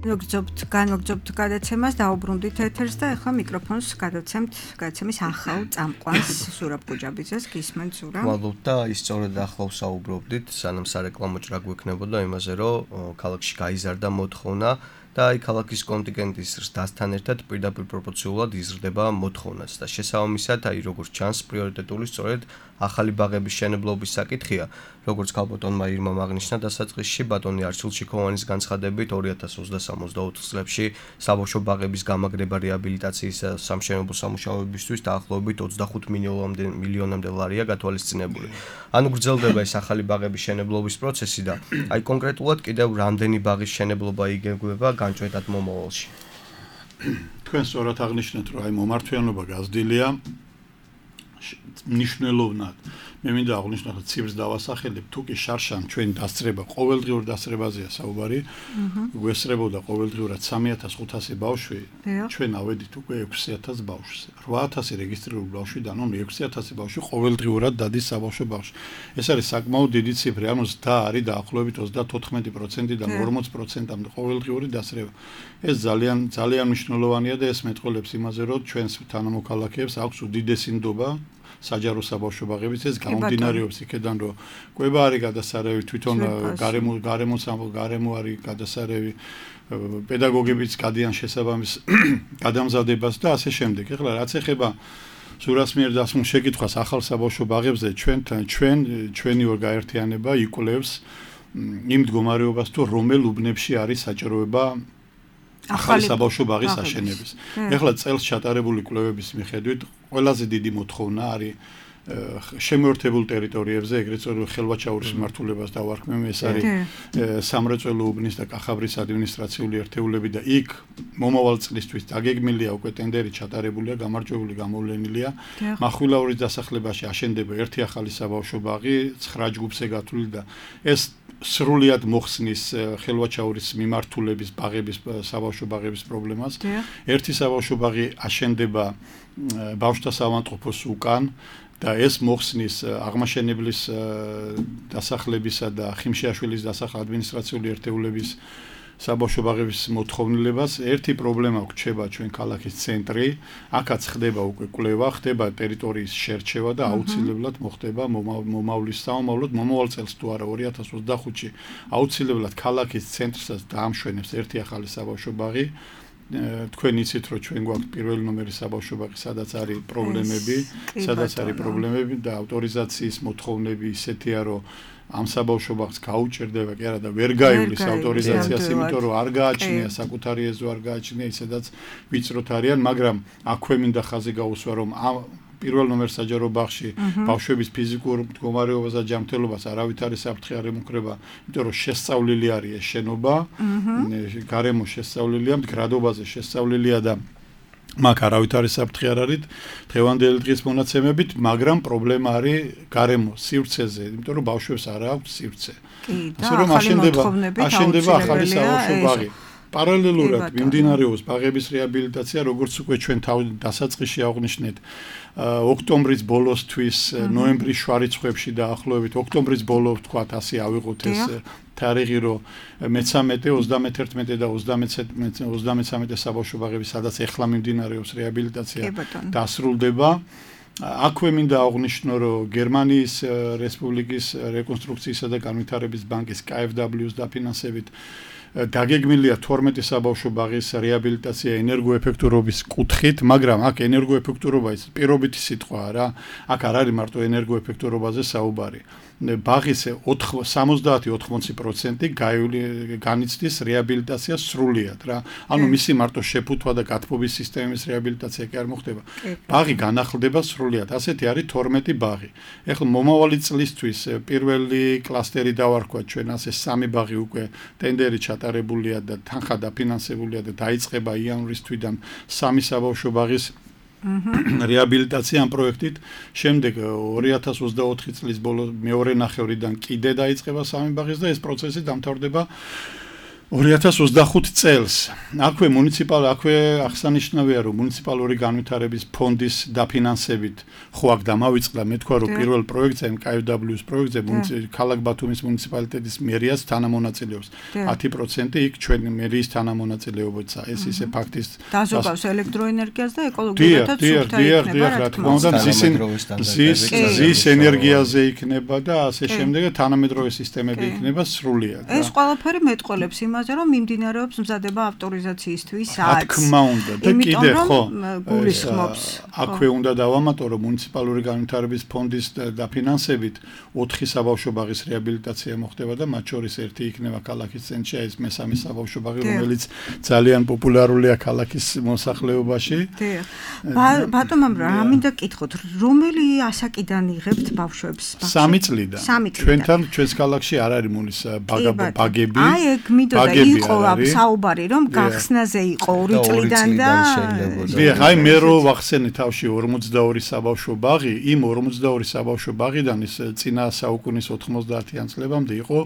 მოგძობთ, განმოგძობთ გადაცემას, დაუბრუნდით ეთერს და ახლა მიკროფონს გადაცემთ გადაცემის ახალ წამყვანს ზურაბ გუჯაბიძეს. გისმენთ ზურაბ? მადლობთ და ის სწორედ ახლა ვსაუბრობდით, სანამ სარეკლამო ჭრა გვექნებოდა იმაზე, რომ ქალაქში გაიზარდა მოთხოვნა და აი ქალაქის კონტინგენტის ზრდასთან ერთად პირდაპირ პროპორციულად იზრდება მოთხოვნაც და შესაბამისად აი როგორც ჩანს პრიორიტეტული სწორედ ახალი ბაღების შენებლობის საკითხია, როგორც ქალბატონმა ირმამ აღნიშნა დასაწყისში ბატონი არჩილ შიქოვანის განცხადებით ორი ათას ოცდასამ ოცდაოთხ წლებში საბავშვო ბაღების გამაგრება რეაბილიტაციის სამშენებლო სამუშაოებისთვის დაახლოებით ოცდახუთ მილიონამდე ლარია გათვალისწინებული. ანუ გრძელდება ეს ახალი ბაღების შენებლობის პროცესი და აი კონკრეტულად კიდევ რამდენი ბაღის შენებლობა იგეგმება განჭვეტად მომავალში. თქვენ სწორად აღნიშნეთ, რომ აი მომართვიანობა გაზრდილია მნიშვნელოვნად. მე მინდა აღვნიშნო, რომ ციფრს დავასახელებ, თუ კი შარშან ჩვენ დასწრება, ყოველდღიურ დასწრებაზეა საუბარი. გვესწრებოდა ყოველდღიურად სამი ათას ხუთასი ბავშვი, ჩვენ ავედით უკვე ექვსი ათას ბავშვზე. რვა ათასი რეგისტრირებული ბავშვიდან, ანუ ექვსი ათასი ბავშვი ყოველდღიურად დადის საბავშვო ბაღში. ეს არის საკმაოდ დიდი ციფრი, ანუ ზრდა არის დაახლოებით ოცდათოთხმეტი პროცენტიდან ორმოც პროცენტამდე ყოველდღიური დასწრება. ეს ძალიან ძალიან მნიშვნელოვანია და ეს მეტყველებს იმაზე, რომ ჩვენს თანამოქალაქეებს აქვს უდიდესი ნდობა საჯარო საბავშვო ბაღების ეს გამომდინარეობს იქედან რომ კვება არის გადასარევი თვითონ გარემო გარემო გარემო არის გადასარევი პედაგოგებიც გადიან შესაბამის გადამზადებას და ასე შემდეგ. ეხლა რაც ეხება ზურას მიერ დასმულ შეკითხვას ახალ საბავშვო ბაღებზე ჩვენთან ჩვენ ჩვენი ორგაერთიანება იკვლევს იმ მდგომარეობას თუ რომელ უბნებში არის საჭიროება ახალი საბავშვო ბაღის აშენების. ეხლა წელს ჩატარებული კვლევების მიხედვით ყველაზე დიდი მოთხოვნა არის შემოერთებულ ტერიტორიებზე, ეგრეთ წოდებული ხელვაჩაურის მმართველობას დავარქმევ, ეს არის სამრეწველო უბნის და კახაბრის ადმინისტრაციული ერთეულები და იქ მომავალ წლისთვის დაგეგმილია უკვე ტენდერი ჩატარებულია, გამარჯვებული გამოვლენილია. მახვილაურის დასახლებაში აშენდება ერთი ახალი საბავშვო ბაღი, ცხრა ჯგუფზე გათვლილი და ეს სრულად მოხსნის ხელვაჩაურის მიმართულების ბაღების საბავშვო ბაღების პრობლემას. ერთი საბავშვო ბაღი აშენდება ბავშვთა საავადმყოფოს უკან და ეს მოხსნის აღმაშენებლის დასახლებისა და ხიმშიაშვილის დასახ ადმინისტრაციული ერთეულების საბავშვო ბაღების მოთხოვნილებას. ერთი პრობლემა გვჩება ჩვენ ქალაქის ცენტრი, აქაც ხდება უკვე კვლევა, ხდება ტერიტორიის შერჩევა და აუცილებლად მოხდება მომავლის სამომავლოდ მომავალ წელს თუ არა ორი ათას ოცდახუთში აუცილებლად ქალაქის ცენტრსაც დაამშვენებს ერთი ახალი საბავშვო ბაღი. თქვენ იცით რომ ჩვენ გვაქვს პირველი ნომერი საბავშვო ბაღი, სადაც არის პრობლემები, სადაც არის პრობლემები და ავტორიზაციის მოთხოვნები ისეთია რომ ამ საბავშვო ბაღს გაუჭირდება კი არა და ვერ გაივლის ავტორიზაციას, იმიტომ რომ არ გააჩნია საკუთარი ეზო, არ გააჩნია ისედაც ვიწროთ არიან, მაგრამ აქვე მინდა ხაზი გაუსვა რომ ამ პირველ ნომერ საჯარო ბაღში ბავშვების ფიზიკურ მდგომარეობას და ჯანმრთელობას არავით არის საფრთხე არ ემუქრება, იმიტომ რომ შესწავლილი არის ეს შენობა, გარემო შესწავლილია, მდგრადობაზე შესწავლილია და მაგ არავით არის საფრთხე არ არის დღევანდელი დღის მონაცემებით, მაგრამ პრობლემა არის გარემო სივრცეზე, იმიტომ რომ ბავშვებს არ აქვს სივრცე. ასე რომ აშენდება აშენდება ახალი საბავშვო ბაღი. პარალელურად მიმდინარეობს ბაღების რეაბილიტაცია, როგორც უკვე ჩვენ დასაწყისში აღვნიშნეთ, ოქტომბრის ბოლოსთვის, ნოემბრის შუა რიცხვებში დაახლოებით, ოქტომბრის ბოლო ვთქვათ, ასე ავიღოთ ეს თარიღი, რომ მეცამეტე, ოცდამეთერთმეტე და ოცდამესამე საბავშვო ბაღები, სადაც ეხლა მიმდინარეობს რეაბილიტაცია, დასრულდება. აქვე მინდა აღვნიშნო, რომ გერმანიის რესპუბლიკის რეკონსტრუქციისა და განვითარების ბანკის კა ეფ დაბლიუ-ს დაფინანსებით დაგეგმილია თორმეტი საბავშვო ბაღის რეაბილიტაცია ენერგოეფექტურობის კუთხით, მაგრამ აქ ენერგოეფექტურობა ის პირობითი სიტყვაა რა. აქ არ არის მარტო ენერგოეფექტურობაზე საუბარი. ბაღის სამოცდაათი ოთხმოცი პროცენტი განიცდის რეაბილიტაციას სრულიად რა. ანუ მისი მარტო შეფუთვა და გათბობის სისტემის რეაბილიტაცია კი არ მოხდება. ბაღი განახლდება სრულიად. ასეთი არის თორმეტი ბაღი. ეხლა მომავალი წლისთვის პირველი კლასტერი დავარქვა ჩვენ, ასე სამი ბაღი უკვე ტენდერი ჩატარებულია და თანხა დაფინანსებულია და დაიწყება იანვრის თვიდან სამი საბავშვო ბაღის რეაბილიტაცია ამ პროექტით. შემდეგ ორი ათას ოცდაოთხი წლის ბოლოს მეორე ნახევრიდან კიდე დაიწყება სამი ბაღის და ეს პროცესი დამთავრდება ორი ათას ოცდახუთი წელს აქვე მუნიციპალ აქვე აღსანიშნავია რომ მუნიციპალური განვითარების ფონდის დაფინანსებით ხო აქ დამავიწყდა მე თქვა რომ პირველ პროექტზე კეი იუ დაბლიუ-ის პროექტზე ქალაქ ბათუმის მუნიციპალიტეტის მერიას თანამონაწილეობს ათი პროცენტი იქ ჩვენი მერიის თანამონაწილეობაა ეს ისე ფაქტის დაზოგავს ელექტროენერგიას და ეკოლოგიურადაც სუფთა იქნება რა თქმა უნდა ზის ზის ენერგიაზე იქნება და ასე შემდეგ თანამედროვე სისტემები იქნება სრულიად ეს ყველაფერი მეტყველებს იმაზე რომ მიმდინარეობს მზადება ავტორიზაციისთვის რა თქმა უნდა და კიდე ხო გულისხმობს აქვე უნდა დავამატო რომ მუნიციპალური განვითარების ფონდის დაფინანსებით ოთხი საბავშვო ბაღის რეაბილიტაცია მოხდება და მათ შორის ერთი იქნება ქალაქის ცენტრში ეს მესამე საბავშვო ბაღი რომელიც ძალიან პოპულარულია ქალაქის მოსახლეობაში ბატონო რა მინდა გითხოთ რომელი ასაკიდან იღებთ ბავშვებს სამი წლიდან ჩვენთან ჩვენს ქალაქში არ არის მუნის ბაგები აი ეგ მინდოდა იყო საუბარი რომ გახსნაზე იყო ორი წლიდან და დიახ აი მე რო ვახსენე თავში ორმოცდაორი საბავშვო ბაღი იმ ორმოცდაორი საბავშვო ბაღიდან ის წინა საუკუნის ოთხმოცდაათიან წლებამდე იყო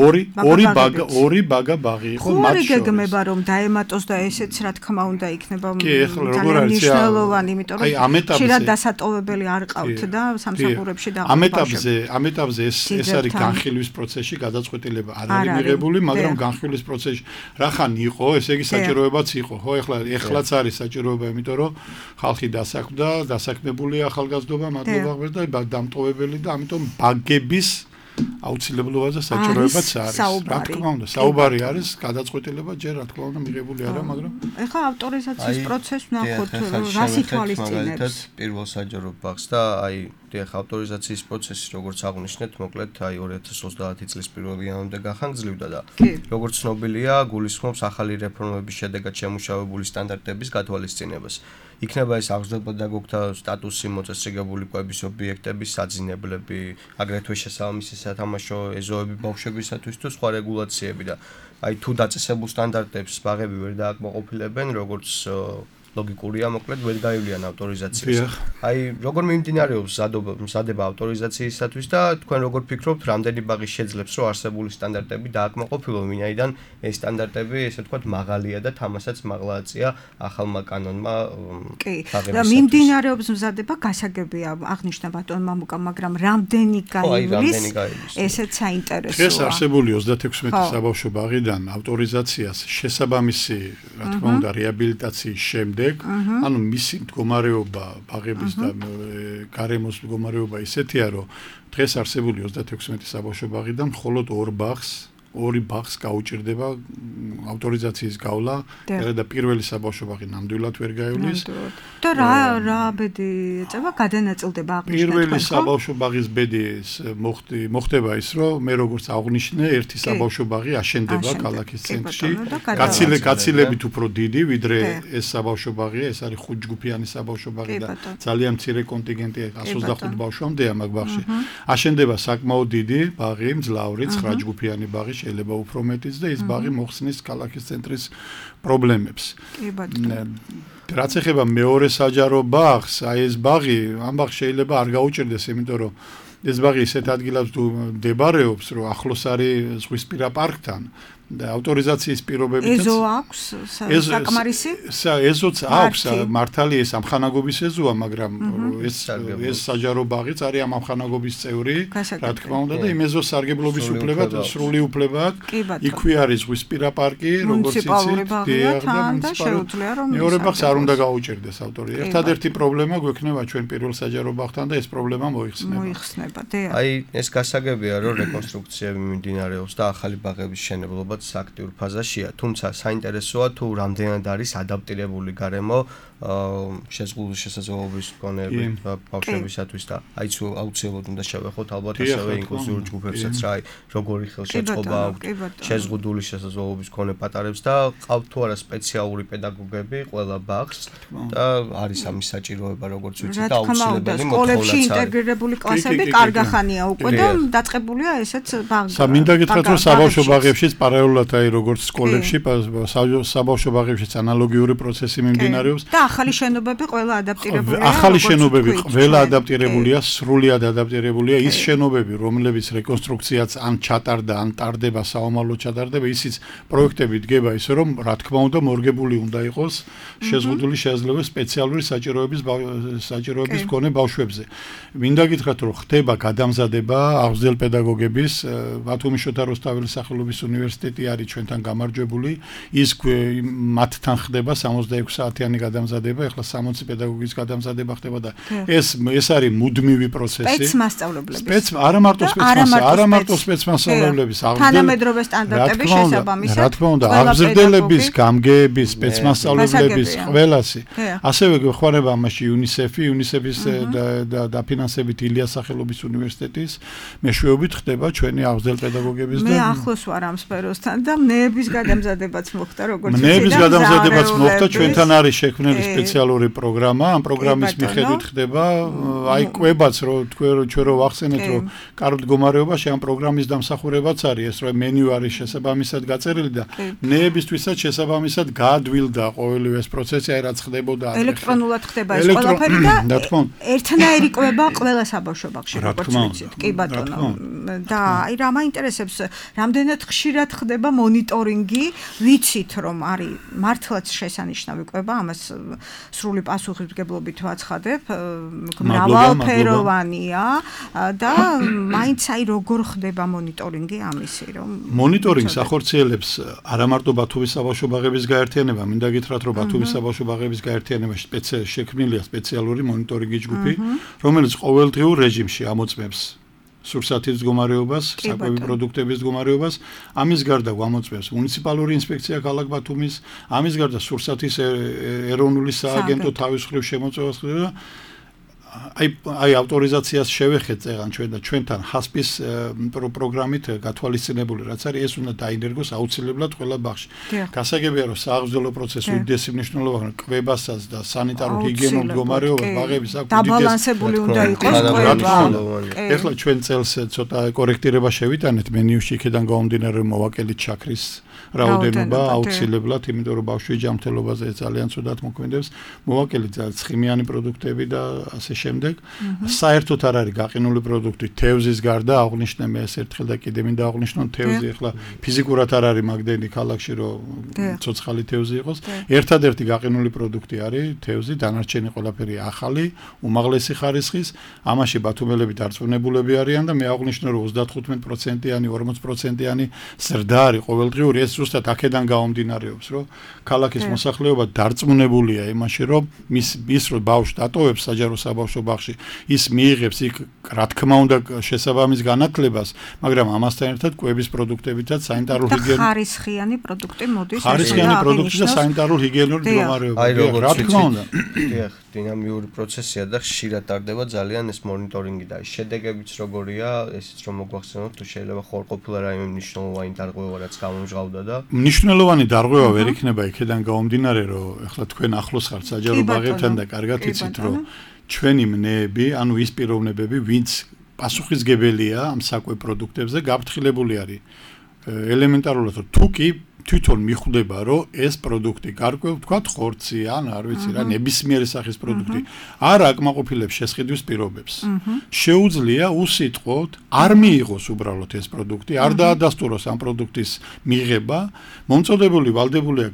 ორი ორი ბაგა ორი ბაგა ბაღი იყო მათ შორის გეგმება რომ დაემატოს და ესეც რა თქმა უნდა იქნება ძალიან მნიშვნელოვანი იმიტომ რომ შეიძლება დასატოვებელი არ ყავთ და სამსახურებში და ამ ეტაპზე ამ ეტაპზე ეს ეს არის განხილვის პროცესში გადაწყვეტილება არ არის მიღებული მაგრამ განხილვის პროცესში რახან იყო ესე იგი საჭიროებაც იყო ხო ეხლა ეხლაც არის საჭიროება იმიტომ რომ ხალხი დასაქმდა დასაქმებულია ახალგაზრდობა მადლობა ღმერთს და დამტოვებელი და ამიტომ ბაგების აუცილებლობაზე საჭიროებაც არის რა თქმა უნდა საუბარი არის გადაწყვეტილება ჯერ რა თქმა უნდა მიღებული არა მაგრამ ეხლა ავტორიზაციის პროცესს ვნახოთ რას ითვალისწინებს პირველ საჯარო ბაღს და აი დიახ ავტორიზაციის პროცესი როგორც აღნიშნეთ მოკლედ აი ორი ათას ოცდაათი წლის პირველ იანვრამდე გახანგრძლივდა და როგორც ცნობილია გულისხმობს ახალი რეფორმების შედეგად შემუშავებული სტანდარტების გათვალისწინებას იქნება ეს აღზრდა-პედაგოგთა სტატუსი მოწესრიგებული კვების ობიექტების საძინებლები აგრეთვე შესაბამისი სათამაშო ეზოები ბავშვებისათვის თუ სხვა რეგულაციები და აი თუ დაწესებულ სტანდარტებს ბაღები ვერ დააკმაყოფილებენ როგორც ლოგიკურია მოკლედ ვერ გაივლიან ავტორიზაციას. აი როგორ მიმდინარეობს მზადობა მზადება ავტორიზაციისათვის და თქვენ როგორ ფიქრობთ რამდენი ბაღი შეძლებს რომ არსებული სტანდარტები დააკმაყოფილონ ვინაიდან ეს სტანდარტები ესე ვთქვათ მაღალია და თამასაც მაღლააცია ახალმა კანონმა კი და მიმდინარეობს მზადება გასაგებია აღნიშნა ბატონ მამუკა მაგრამ რამდენი გაივლის ესეც საინტერესოა. ეს არსებული ოცდათექვსმეტი საბავშვო ბაღიდან ავტორიზაციას შესაბამისი რა თქმა უნდა რეაბილიტაციის შემდეგ ანუ მისი მდგომარეობა ბაღების და გარემოს მდგომარეობა ისეთია რომ დღეს არსებული ოცდათექვსმეტი საბავშვო ბაღიდან მხოლოდ ორ ბაღს ორი ბაღს გაუჭირდება ავტორიზაციის გავლა და პირველი საბავშვო ბაღი ნამდვილად ვერ გაივლის და რა რა ბედი ეწევა გადანაწილდება აღნიშნეთ პირველი საბავშვო ბაღის ბედი მოხდება ის რომ მე როგორც აღნიშნე ერთი საბავშვო ბაღი აშენდება ქალაქის ცენტრში გაცილე გაცილებით უფრო დიდი ვიდრე ეს საბავშვო ბაღია ეს არის ხუთჯგუფიანი საბავშვო ბაღი და ძალიან მცირე კონტინგენტია εκατს ოცდახუთ ბავშვამდეა მაგ ბაღში აშენდება საკმაოდ დიდი ბაღი მძლავრი ცხრაჯგუფიანი ბაღი შეიძლება უფრო მეტიც და ის ბაღი მოხსნის ქალაქის ცენტრის პრობლემებს. კი ბატონო. რაც ეხება მეორე საჯარო ბაღს, აი ეს ბაღი, ამ ბაღს შეიძლება არ გაუჭირდეს, იმიტომ რომ ეს ბაღი ისეთ ადგილას მდებარეობს, რომ ახლოს არის ზღვისპირა პარკთან. და ავტორიზაციის პირობებითაც ეზო აქვს საკმარისი? ეზოც აქვს მართალი ეს ამხანაგობის ეზოა, მაგრამ ეს ეს საჯარო ბაღიც არის ამ ამხანაგობის წევრი, რა თქმა უნდა და იმ ეზოს სარგებლობის უფლება სრული უფლება აქვს. იქვე არის ზღვისპირა პარკი, როგორც იცით, და შეუძლია რომ მეორე ბაღს არ უნდა გაუჭირდეს ავტორი. ერთადერთი პრობლემა გვექნება ჩვენ პირველ საჯარო ბაღთან და ეს პრობლემა მოიხსნება. მოიხსნება, დიახ. აი ეს გასაგებია რომ რეკონსტრუქციები მიმდინარეობს და ახალი ბაღების შენებლობა აქტიურ ფაზაშია, თუმცა საინტერესოა თუ რამდენად არის ადაპტირებული გარემო შეზღუდული შესაძლებლობის მქონეები ბავშვებისათვის და აი თუ აუცილებლად უნდა შევეხოთ ალბათ ასევე ინკლუზიურ ჯგუფებსაც რა აი როგორი ხელშეწყობა აქვს შეზღუდული შესაძლებლობის მქონე პატარებს და ყავთ თუ არა სპეციალური პედაგოგები ყველა ბაღს და არის ამის საჭიროება როგორც ვიცით და აუცილებელი მოთხოვნაც სკოლებში ინტეგრირებული კლასები კარგახანია უკვე და დაწყებულია ესეც ბაღი. სამინდა გითხრათ რომ საბავშვო ბაღებშიც პარალელურად აი როგორც სკოლებში საბავშვო ბაღებშიც ანალოგიური პროცესი მიმდინარეობს. და ახალი შენობები ყველა ადაპტირებულია. ახალი შენობები ყველა ადაპტირებულია, სრულიად ადაპტირებულია. ის შენობები, რომლებიც რეკონსტრუქციაც ან ჩატარდა, ან ტარდება, საომალო ჩატარდება, ისიც პროექტები დგება ისე რომ რა თქმა უნდა მორგებული უნდა იყოს შეზღუდული შესაძლებლობა სპეციალური საჭიროების საჭიროების მქონე ბავშვებზე. მინდა გითხრათ რომ ხდება გადამზადება აღზრდელ პედაგოგების ბათუმის შოთა რუსთაველის სახელობის უნივერსიტეტი არის ჩვენთან გამარჯვებული ის მათთან ხდება სამოცდაექვსი საათიანი გადამზადება ეხლა სამოცი პედაგოგის გადამზადება ხდება და ეს ეს არის მუდმივი პროცესი სპეცმასწავლებლების სპეც არა მარტო სპეცმასწავლებლების არა მარტო სპეცმასწავლებლების თანამედროვე სტანდარტების შესაბამისად რა თქმა უნდა აღზრდელების გამგეების სპეცმასწავლებლების ყველასი ასევე გვეხმარება ამაში იუნისეფი იუნისეფის დაფინანსებით ილიას სახელობის უნივერსიტეტის მეშვეობით ხდება ჩვენი აღზრდელ პედაგოგების და მე ახლოს ვარ ამ სფეროსთან და მნეების გადამზადებაც მოხდა როგორც ვიცი მნეების გადამზადებაც მოხდა ჩვენთან არის შექმნილი სპეციალური პროგრამა ამ პროგრამის მიხედვით ხდება აი კვებაც რომ ჩვენ რო ვახსენეთ რომ კარგ მდგომარეობაში ამ პროგრამის დამსახურებაც არის ეს რომ მენიუ არის შესაბამისად გაწერილი და მნეებისთვისაც შესაბამისად გაადვილდა ყოველივე ეს პროცესი აი რაც ხდებოდა ელექტრონულად ხდება ეს ყველაფერი და ერთნაირი კვება ყველა საბავშვო ბაღში როგორც ვიცით კი ბატონო და აი რა მაინტერესებს რამდენად ხშირად ხდება მონიტორინგი ვიცით რომ არის მართლაც შესანიშნავი კვება ამას სრული პასუხისმგებლობით ვაცხადებ მრავალფეროვანია და მაინც აი როგორ ხდება მონიტორინგი ამისი რომ მონიტორინგს ახორციელებს არა მარტო ბათუმის საბავშვო ბაღების გაერთიანება მინდა გითხრათ რომ ბათუმის საბავშვო ბაღების გაერთიანებაში შექმნილია სპეციალური მონიტორინგის ჯგუფი რომელიც ყოველდღიურ რეჟიმში ამოწმებს სურსათის მდგომარეობას, საკვები პროდუქტების მდგომარეობას, ამის გარდა გამოწვევს მუნიციპალური ინსპექცია ქალაქ ბათუმის, ამის გარდა სურსათის ეროვნული სააგენტო თავის მხრივ შემოწმებას ხდება. აი აი ავტორიზაციას შევეხეთ წეგან ჩვენ და ჩვენთან ჰასპის პროგრამით გათვალისწინებული რაც არის ეს უნდა დაინერგოს აუცილებლად ყველა ბაღში. გასაგებია რომ სააღზრდელო პროცესი უდიდესი მნიშვნელობა კვებასაც და სანიტარულ ჰიგიენურ მდგომარეობას ბაღების აქვს დაბალანსებული უნდა იყოს კვება. ეხლა ჩვენ წელს ცოტა კორექტირება შევიტანეთ მენიუში იქიდან გამომდინარე მოვაკელით შაქრის რაოდენობა აუცილებლად იმიტომ რომ ბავშვი ჯანმრთელობაზე ძალიან ცუდად მოქმედებს მოვაკელით ცხიმიანი პროდუქტები და ასე შემდეგ საერთოდ არ არის გაყინული პროდუქტი თევზის გარდა აღნიშნე მე ეს ერთხელ და კიდე მინდა აღნიშნო თევზი ახლა ფიზიკურად არ არის მაგდენი ქალაქში რომ ცოცხალი თევზი იყოს ერთადერთი გაყინული პროდუქტი არის თევზი დანარჩენი ყველაფერი ახალი უმაღლესი ხარისხის ამაში ბათუმელები დარწმუნებულები არიან და მე აღნიშნე რომ ოცდათხუთმეტ პროცენტიანი ორმოც პროცენტიანი ზრდა არის ყოველდღიური ეს ზუსტად აქედან გამომდინარეობს რომ ქალაქის მოსახლეობა დარწმუნებულია იმაში რომ მის ის რომ ბავშვი დატოვებს საჯარო საბავშვო ბაღში ის მიიღებს იქ რა თქმა უნდა შესაბამის განათლებას მაგრამ ამასთან ერთად კვების პროდუქტებითაც სანიტარულ ჰიგიენურ ხარისხიანი პროდუქტი მოდის ხარისხიანი პროდუქტი და სანიტარულ ჰიგიენურ მდგომარეობა რა თქმა უნდა დიახ დინამიური პროცესია და ხშირად ტარდება ძალიან ეს მონიტორინგი და შედეგებიც როგორია ესეც რომ მოგვახსენოთ თუ შეიძლება ხორყოფილა რაიმე მნიშვნელოვანი დარღვევა რაც გამომჟღავდა და მნიშვნელოვანი დარღვევა ვერ იქნება იქიდან გამომდინარე რომ ეხლა თქვენ ახლოს ხართ საჯარო ბაღებთან და კარგად იცით რომ ჩვენი მნეები ანუ ის პიროვნებები ვინც პასუხისგებელია ამ საკვებ პროდუქტებზე გაფრთხილებული არის ელემენტარულად თუ კი თვითონ მიხვდება რომ ეს პროდუქტი გარკვეულ თქვა ხორცი ან არ ვიცი რა ნებისმიერი სახის პროდუქტი არ აკმაყოფილებს შესყიდვის პირობებს შეუძლია უსიტყვოდ არ მიიღოს უბრალოდ ეს პროდუქტი არ დაადასტუროს ამ პროდუქტის მიღება მომწოდებული ვალდებულია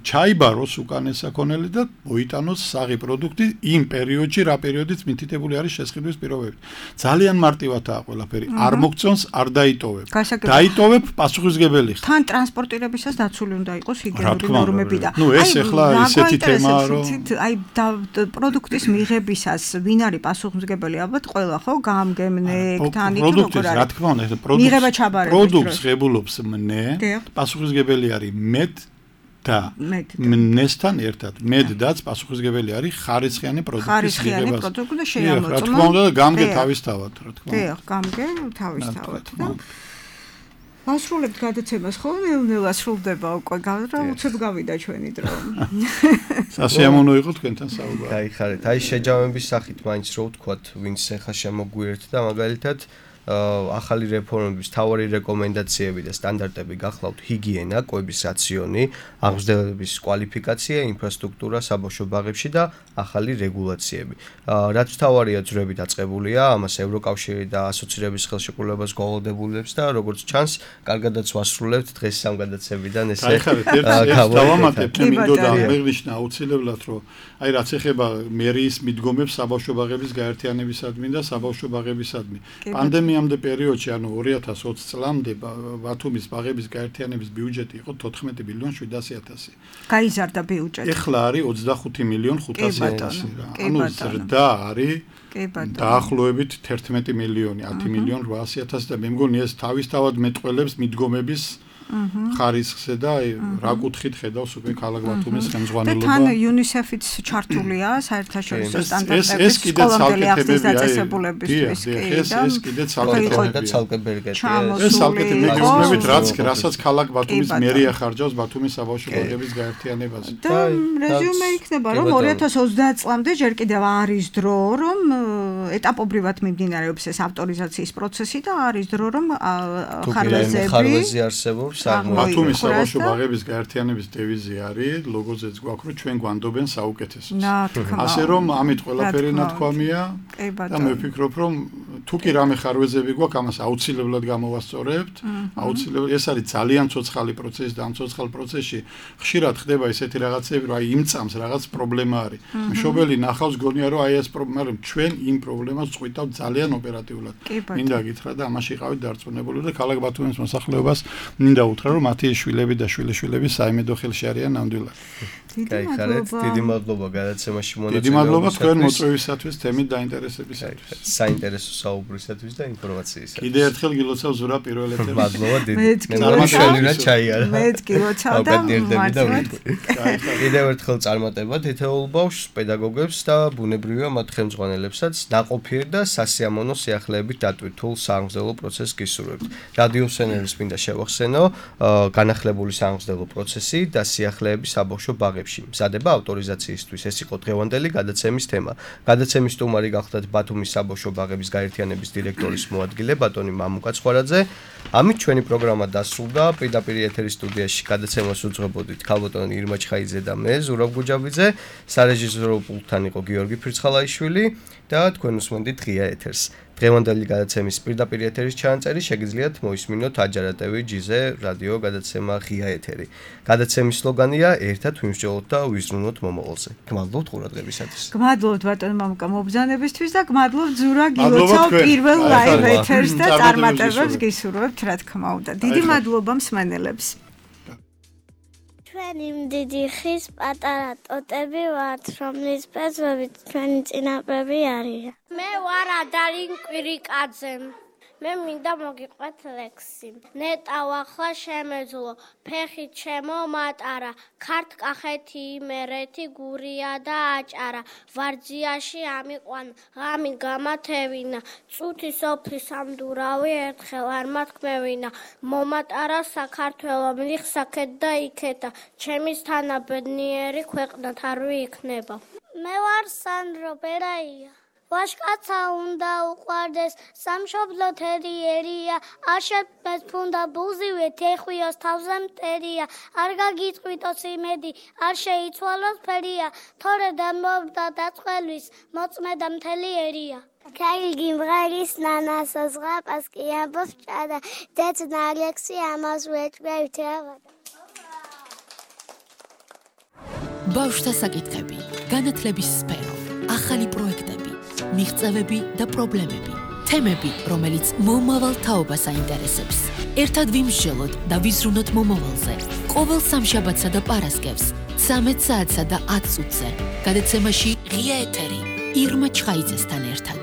ჩაიბაროს უკან ეს საქონელი და მოიტანოს საღი პროდუქტი იმ პერიოდში რა პერიოდიც მითითებული არის შესყიდვის პირობებით ძალიან მარტივადაა ყველაფერი არ მოგწონს არ დაიტოვებ დაიტოვებ პასუხისგებელი ხარ თან ტრანსპორტირების ის დაცული უნდა იყოს ჰიგიენური ნორმები და ნუ ეს ახლა ისეთი თემაა რომ აი პროდუქტის მიღებისას ვინ არის პასუხისმგებელი ალბათ ყველა ხო გამგემნეკთან იქ როგორ არის რა თქმა უნდა პროდუქტს პროდუქტს ღებულობს მნე პასუხისმგებელი არის მედ და მნესთან ერთად მედდაც პასუხისმგებელი არის ხარისხიანი პროდუქტის ხარისხიანი პროდუქტი და შეამოწმო რა თქმა უნდა გამგე თავისთავად რა თქმა უნდა დიახ გამგე თავისთავად და ვასრულებთ გადაცემას, ხო? ნელ-ნელა სრულდება უკვე, რა უცებ გავიდა ჩვენი დრო. სასიამოვნო იყო თქვენთან საუბარი. გაიხარეთ. აი შეჯამების სახით მაინც რო ვთქვათ, ვინც ახლა შემოგვიერთდა, მაგალითად ახალი რეფორმების თავარი რეკომენდაციები და სტანდარტები გახლავთ ჰიგიენა, კვების რაციონი, აღმზრდელების კვალიფიკაცია, ინფრასტრუქტურა საბავშვო ბაღებში და ახალი რეგულაციები. რაც თავარია ძვრები დაწყებულია, ამას ევროკავშირი და ასოცირების ხელშეკრულებას გვალოდებულებს და როგორც ჩანს, კარგადაც ვასრულებთ დღეს სამ გადაცემიდან ესე. გაიხარეთ, ერთ დავამატებ, მე მინდოდა აღნიშნა აუცილებლად, რომ აი რაც ეხება მერიის მიდგომებს საბავშვო ბაღების გაერთიანებისადმი და საბავშვო ბაღებისადმი. პანდემიამდე პერიოდში, ანუ ორი ათას ოცი წლამდე ბათუმის ბაღების გაერთიანების ბიუჯეტი იყო თოთხმეტი მილიონი შვიდასი ათასი. გაიზარდა ბიუჯეტი. ეხლა არის ოცდახუთი მილიონი ხუთასი ათასი. ანუ ზრდა არის დაახლოებით თერთმეტი მილიონი, ათი მილიონი რვაასი ათასი და მე მგონი ეს თავისთავად მეტყველებს მიდგომების ხარისხზე და რა კუთხით ხედავს უკვე ქალაქ ბათუმის ხელმძღვანელობა. და თან იუნისეფიც ჩართულია საერთაშორისო სტანდარტების სკოლამდელი აღზრდის დაწესებულებისთვის. ეს ეს კიდე ცალკე ბერგეტია. ეს ცალკე მეგობრებით რაც რასაც ქალაქ ბათუმის მერია ხარჯავს ბათუმის საბავშვო ბაღების გაერთიანებაზე. და რეზიუმე იქნება რომ ორი ათას ოცდაათ წლამდე ჯერ კიდევ არის დრო რომ ეტაპობრივად მიმდინარეობს ეს ავტორიზაციის პროცესი და არის დრო რომ ხარვეზები ბათუმის საბავშვო ბაღების გაერთიანების დევიზი არის, ლოგოზეც გვაქვს, რომ ჩვენ გვანდობენ საუკეთესოს. ასე რომ ამით ყველაფერი ნათქვამია და მე ვფიქრობ, რომ თუ კი რამე ხარვეზები გვაქვს, ამას აუცილებლად გამოვასწორებთ. აუცილებლად ეს არის ძალიან ცოცხალი პროცესი და ამ ცოცხალ პროცესში ხშირად ხდება ესეთი რაღაცები, რომ აი იმ წამს რაღაც პრობლემა არის. მშობელი ნახავს გონია, რომ აი ეს პრობლემა, მაგრამ ჩვენ იმ პრობლემას წვითავთ ძალიან ოპერატიულად. მინდა გითხრა და ამაში ყავით დარწმუნებული და ქალაქ ბათუმის მოსახლეობას მინდა უთხრა რომ მათი შვილები და შვილიშვილები საიმედო ხელში არიან ნამდვილად. გაიხარეთ, დიდი მადლობა გადაცემაში მონაწილეობისათვის. დიდი მადლობა თქვენ მოწვევისათვის, თემით დაინტერესებისათვის. საინტერესო საუბრისათვის და ინფორმაციისათვის. კიდე ერთხელ გილოცავ ზურა პირველ ეთერში. მადლობა დიდი. მე შენივრა ჩაიარა. მე გილოცავ და კიდევ ერთხელ წარმატება თითოეულ ბავშვს, პედაგოგებს და ბუნებრივია მათ ხელმძღვანელებსაც ნაყოფიერ და სასიამოვნო სიახლეებით დატვირთულ სააღმზრდელო პროცესს გისურვებთ. რადიოსენერს მინდა შევახსენო განახლებული სააღმზრდელო პროცესი და სიახლეები საბავშვო ბაღებში. მზადება ავტორიზაციისთვის. ეს იყო დღევანდელი გადაცემის თემა. გადაცემის სტუმარი გახლდათ ბათუმის საბავშვო ბაღების გაერთიანების დირექტორის მოადგილე ბატონი მამუკა ცხვრაძე. ამით ჩვენი პროგრამა დასრულდა. პირდაპირ ეთერის სტუდიაში გადაცემას უძღვებოდით ქალბატონი ირმა ჩხაიძე და მე ზურაბ გუჯაბიძე. სარეჟისორო პულტთან იყო გიორგი ფირცხალაიშვილი და თქვენ უსმენდით ღია ეთერს. დღევანდელი გადაცემის პირდაპირ ეთერის ჩანაწერი შეგიძლიათ მოისმინოთ აჯარა.ტვ ჯიზე რადიო გადაცემა ღია ეთერი. გადაცემის სლოგანია ერთად ვიმსჯელოთ და ვიზრუნოთ მომავალზე. გმადლობთ ყურადღებისათვის. გმადლობთ ბატონ მამუკა მობრძანებისთვის და გმადლობთ ზურა გილოცავ პირველ ლაივ ეთერს და წარმატებებს გისურვებთ რა თქმა უნდა. დიდი მადლობა მსმენელებს. ჩვენ იმ დიდი ხის პატარა ტოტები ვართ, რომლის ფესვებით ჩვენი წინაპრები არიან. მე ვარ ადალინ კვირიკაძე. მე მინდა მოგიყვეთ ლექსი. ნეტავ ახლა შემეძლო, ფეხი ჩემო მატარა, ქართკახეთი იმერეთი გურია და აჭარა, ვარძიაში ამიყვან, ღამი გამათევინა, წუთი სოფლის ამდურავი ერთხელ არ მათქმევინა, მომატარა საქართველო მიხსაკეთ და იქეთა, ჩემის თანა ბედნიერი ქვეყნად არ ვიიქნება. მე ვარ სანდრო ბერაია. ვაშკაცა უნდა უყვარდეს, სამშობლო თერიერია, არ შეფმეს ფუნდა ბუზივე, თეხვიოს თავზე მტერია, არ გაგიწყვიტოს იმედი, არ შეიცვალოს ფერია, თორე დამბობდა დაწყელვის, მოწმედა მთელი ერია. Kailgi mgharis nanasa zghab aski ambos chada det naleksi amaz wetgravit ravada. ბავშვთა საკითხები, განათლების სფერო, ახალი პროექტები, მიღწევები და პრობლემები, თემები, რომელიც მომავალ თაობას აინტერესებს. ერთად ვიმსჯელოთ და ვიზრუნოთ მომავალზე. ყოველ სამშაბათსა და პარასკევს, ცამეტ საათსა და ათ წუთზე. გადაცემაში ღია ეთერი ირმა ჩხაიძესთან ერთად.